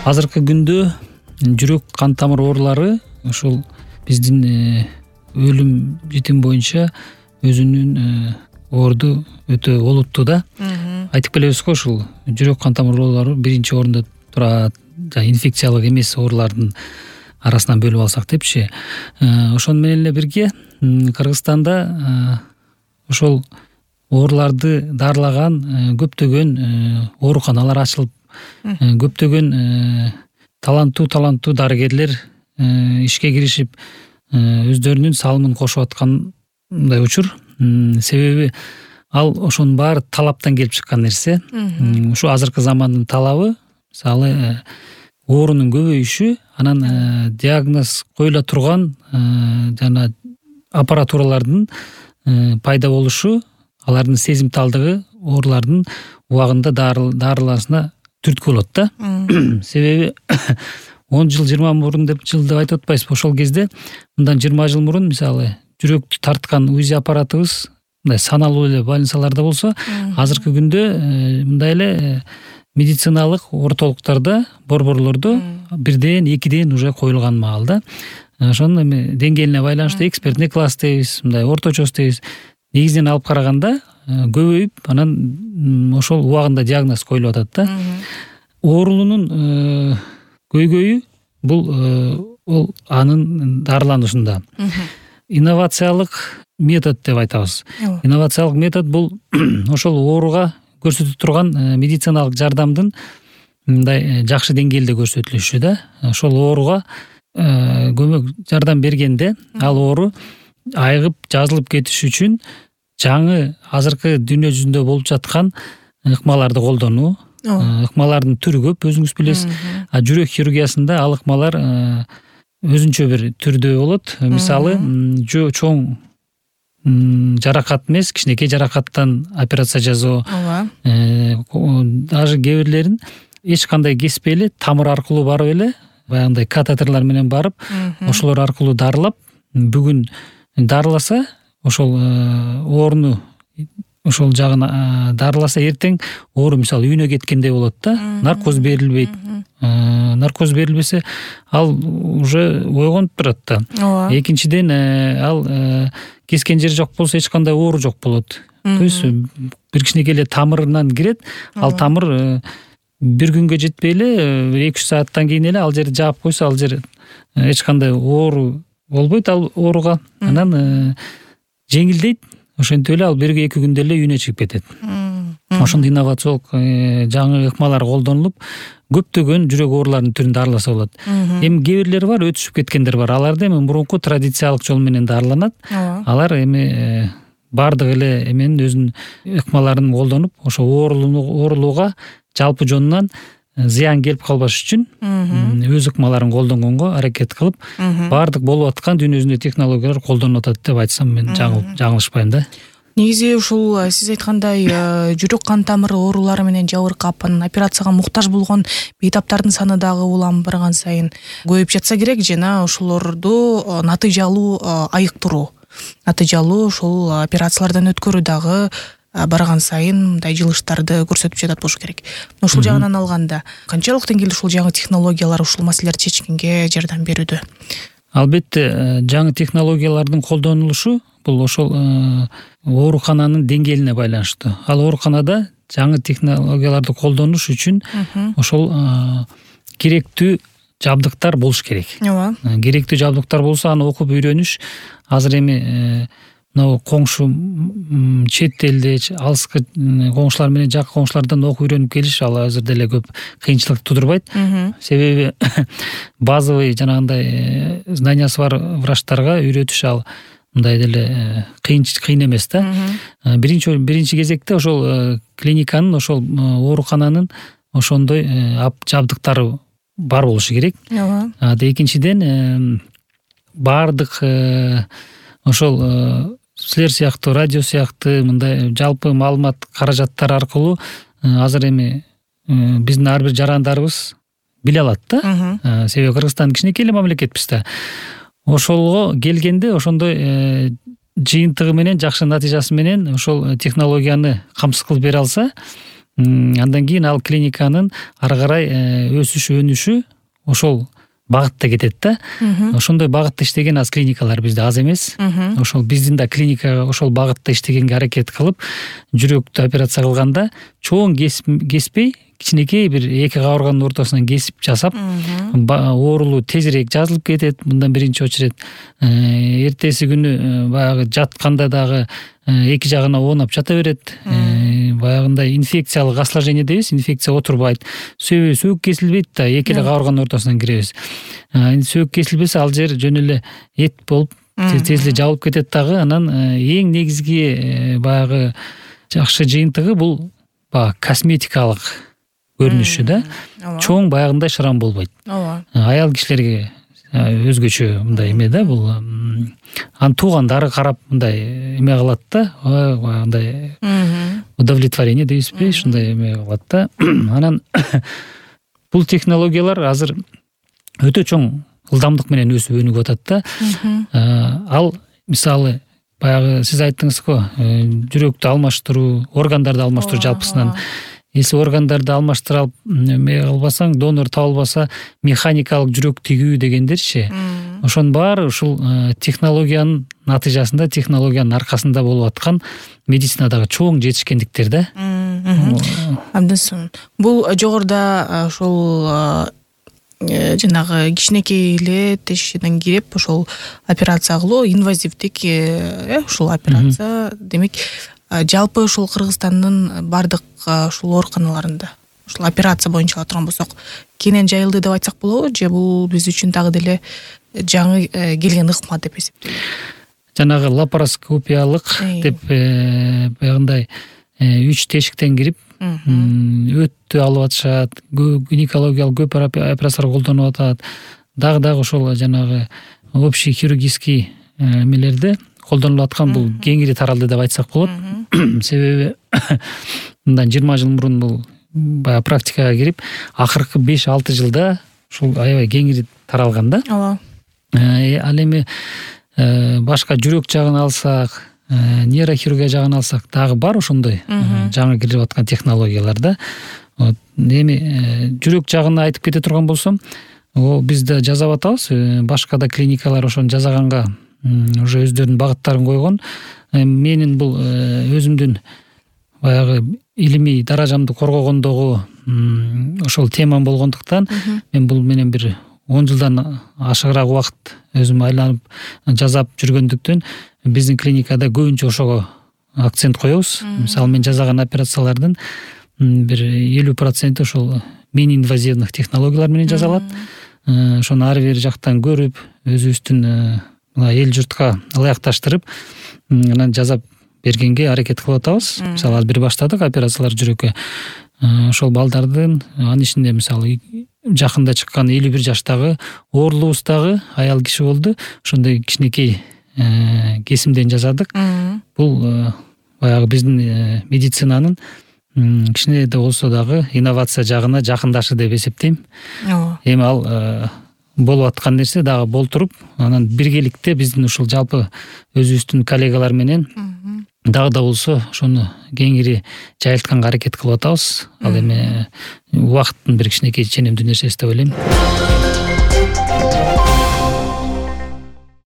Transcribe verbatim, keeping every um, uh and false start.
Азыркы күндө жүрөк кан тамыр оорулары ушул биздин өлүм житим боюнча өзүнүн орду өтө олуттуу да. Айтып келебиз го, ушул жүрөк кан тамыр оорулары биринчи орунда турат, инфекциялык эмес оорулардын арасынан бөлүп алсак депчи. Ошону менен эле бирге Кыргызстанда ошол ооруларды дарылаган көптөгөн ооруканалар ачылып, көптөгөн таланттуу таланттуу дарыгерлер ишке киришип, өздөрүнүн салымын кошуп аткандай учур. Себеби ал ошонун баары талаптан келип чыккан нерсе. Ушу азыркы замандын талабы, мисалы оорунун көбөйүшү, анан диагноз коюла турган жана аппаратуралардын пайда болушу, алардын сезимталдыгы оорулардын убагында дарыланышына түрткү болот да. Себеби он жыл жыйырма мурун деп жыл деп айтып атпайбызбы? Ошол кезде мындан жыйырма жыл мурун мисалы жүрөктү тарткан УЗИ аппаратыбыз мындай саналуу эле больницаларда болсо, азыркы күндө мындай эле медициналык ортолуктарда, борборлордо бирден, экиден уже коюлган маал да. Ошонун эми деңгээлине байланыштуу экспертный класс дейбиз, мындай орточосу дейбиз. Негизинен алып караганда көбөйүп, анан ошол убагында диагноз коюлуп атат да. Оорунун көйгөйү бул ол анын дарыланышында. Инновациялык метод деп айтабыз. Инновациялык метод бул ошол ооруга көрсөтүп турган медициналык жардамдын мындай жакшы деңгээлде көрсөтүлүшү да. Ошол ооруга көмөк жардам бергенде ал оору айыгып жазылып кетиш үчүн жаңы азыркы дүйнө жүзүндө болуп жаткан ыкмаларды колдонуу. Ыкмалардын түрү көп, өзүңүз билесиз. А жүрөк хирургиясында ал ыкмалар өзүнчө бир түрдө болот. Мисалы, чоң жаракат эмес, кичинекей жаракаттан операция жасоо. Даже кээ бирлерин эч кандай кеспей эле тамыр аркылуу барып эле, баягындай катетерлер менен барып, ошолор аркылуу дарылап, бүгүн дарыласа, ошол ооруну ошол жагын дарыласа, эртең оору мисалы үйүнө кеткендей болот да. Наркоз берилбейт. Наркоз берилбесе, ал уже ойгонуп турат да. Экинчиден, ал кескен жери жок болсо эч кандай оору жок болот. То есть бир кичинекей эле тамырынан кирет, ал тамыр бир күнгө жетпей эле эки үч сааттан кийин эле ал жерди жаап койсо, ал жер эч кандай оору болбойт ал ооруга. Анан жеңилдейт. Ошентип эле ал бир эки күндө эле үйүнө чыгып кетет. Ошондой инновациялык жаңы ыкмалар колдонулуп, көптөгөн жүрөк ооруларынын түрүн дарыласа болот. Эми кээ бирлери бар, өтүшүп кеткендер бар. Аларды эми мурунку традициялык жол менен дарыланат. Алар эми бардык эле эменин өзүнүн ыкмаларын колдонуп, ошо оорулууга жалпы жонунан зыян келип калбаш үчүн өз ыкмаларын колдонгонго аракет кылып, бардык болуп аткан дүйнө жүзүндө технологиялар колдонулуп атат деп айтсам мен жаңылышпайм да. Негизи ушул сиз айткандай жүрөк кан тамыр оорулары менен жабыркап, анан операцияга муктаж болгон бейтаптардын саны дагы улам барган сайын көбөйүп жатса керек, жана ошолорду натыйжалуу айыктыруу, натыйжалуу ушул операциялардан өткөрүү дагы барган сайын мындай жылыштарды көрсөтүп жатат болуш керек. Ушул жагынан алганда, канчалык деңгээлде ушул жаңы технологиялар ушул маселелерди чечкенге жардам берүүдө? Албетте, жаңы технологиялардын колдонулушу бул ошол оорукананын деңгээлине байланыштуу. Ал ооруканада жаңы технологияларды колдонуш үчүн ошол керектүү жабдыктар болуш керек. Керектүү жабдыктар болсо, аны окуп үйрөнүш азыр эми мына коңшу чет элде, алыскы коңшулар менен жакын коңшулардан окуп үйрөнүп келиш ал азыр деле көп кыйынчылык тудурбайт. Себеби базовый жанагындай знаниясы бар врачтарга үйрөтүш ал мындай деле кыйын кыйын эмес да. Биринчи биринчи кезекте ошол клиниканын, ошол оорукананын ошондой жабдыктары бар болушу керек. Экинчиден, бардык ошол силер сыяктуу, радио сыяктуу мындай жалпы маалымат каражаттар аркылуу азыр эми биздин ар бир жарандарыбыз биле алат да. Себеби Кыргызстан кичинекей эле мамлекетпиз да. Ошолго келгенде ошондой жыйынтыгы менен, жакшы натыйжасы менен ошол технологияны камсыз кылып бере алса, Андан кийин ал клиниканын ары карай өсүшү өнүшү ошол багытта кетет да. Ошондой багытта иштеген аз клиникалар бизде аз эмес. Ошол биздин да клиника ошол багытта иштегенге аракет кылып, жүрөктү операция кылганда чоң кеспей, кичинекей бир эки кабырганын ортосунан кесип жасап, оорулуу тезирээк жазылып кетет. Мындан биринчи очередь. Эртеси күнү баягы жатканда дагы эки жагына оонап жата берет. Баягындай инфекциялык осложнение дейбиз, инфекция отурбайт. Сөбү сөөк кесилбейт да, эки эле кабырганын ортосунан киребиз. Сөөк кесилбесе ал жер жөн эле эт болуп тез эле жабылып кетет дагы. Анан эң негизги баягы жакшы жыйынтыгы бул баягы косметикалык көрүнүшү да. Чоң баягындай шрам болбойт. Аял кишилерге өзгөчө мындай эме да, бул анын туугандары карап мындай эме кылат да, баягындай удовлетворение дейбизби, ушундай эме кылат да. Анан бул технологиялар азыр өтө чоң ылдамдык менен өсүп өнүгүп атат да. Ал мисалы баягы сиз айттыңыз го, жүрөктү алмаштыруу, органдарды алмаштыруу жалпысынан. Если органдарды алмаштыра алып эме кылбасаң, донор табылбаса, механикалык жүрөк тигүү дегендерчи. Ошонун баары ушул технологиянын натыйжасында, технологиянын аркасында болуп аткан медицинадагы чоң жетишкендиктер да. Абдан сонун. Бул жогоруда ошол жанагы кичинекей эле тешигинен кирип ошол операция кылуу, инвазивдик ушул операция, демек жалпы ушул Кыргызстандын бардык ушул ооруканаларында ушул операция боюнча алып турган болсок, кенен жайылды деп айтсак болобу, же бул биз үчүн дагы деле жаңы келген ыкма деп эсептейбизби? Жанагы лапароскопиялык деп баягындай үч тешиктен кирип өттү алып атышат, гинекологиялык көп операциялар колдонуп атат. Дагы дагы ошол жанагы общий хирургический эмелерде колдонулуп аткан бул кеңири таралды деп айтсак болот. Себеби мындан жыйырма жыл мурун бул баягы практикага кирип, акыркы беш алты жылда ушул аябай кеңири таралган да. Ооба. Ал эми башка жүрөк жагын алсак, нейрохирургия жагын алсак, дагы бар ошондой жаңы кирип аткан технологиялар да. Эми жүрөк жагын айтып кете турган болсом, биз да жасап атабыз. Башка да клиникалар ошону жасаганга уже өздөрүнүн багыттарын койгон. Менин бул өзүмдүн баягы илимий даражамды коргогондогу ошол темам болгондуктан мен бул менен бир он жылдан ашыгыраак убакыт өзүм айланып жасап жүргөндүктөн биздин клиникада көбүнчө ошого акцент коебуз. Мисалы мен жасаган операциялардын бир элүү проценти ошол мининвазивдик технологиялар менен жасалат. Ошону ар бир жактан көрүп, өзүбүздүн эл журтка ылайыкташтырып, анан жасап бергенге аракет кылып атабыз. Мисалы азыр бир баштадык операциялар жүрөккө. Ошол балдардын, анын ичинде мисалы жакында чыккан элүү бир жаштагы оорулуубуздагы аял киши болду. Ошондой кичинекей кесимден жасадык. Бул баягы биздин медицинанын кичине да болсо дагы инновация жагына жакындашы деп эсептейм. Эми ал болуп аткан нерсе дагы болтуруп, анан биргеликте биздин ушул жалпы өзүбүздүн коллегалар менен дагы да болсо ошону кеңири жайылтканга аракет кылып атабыз. Ал эми убакыттын бир кичинекей ченемдүү нерсеси деп ойлойм.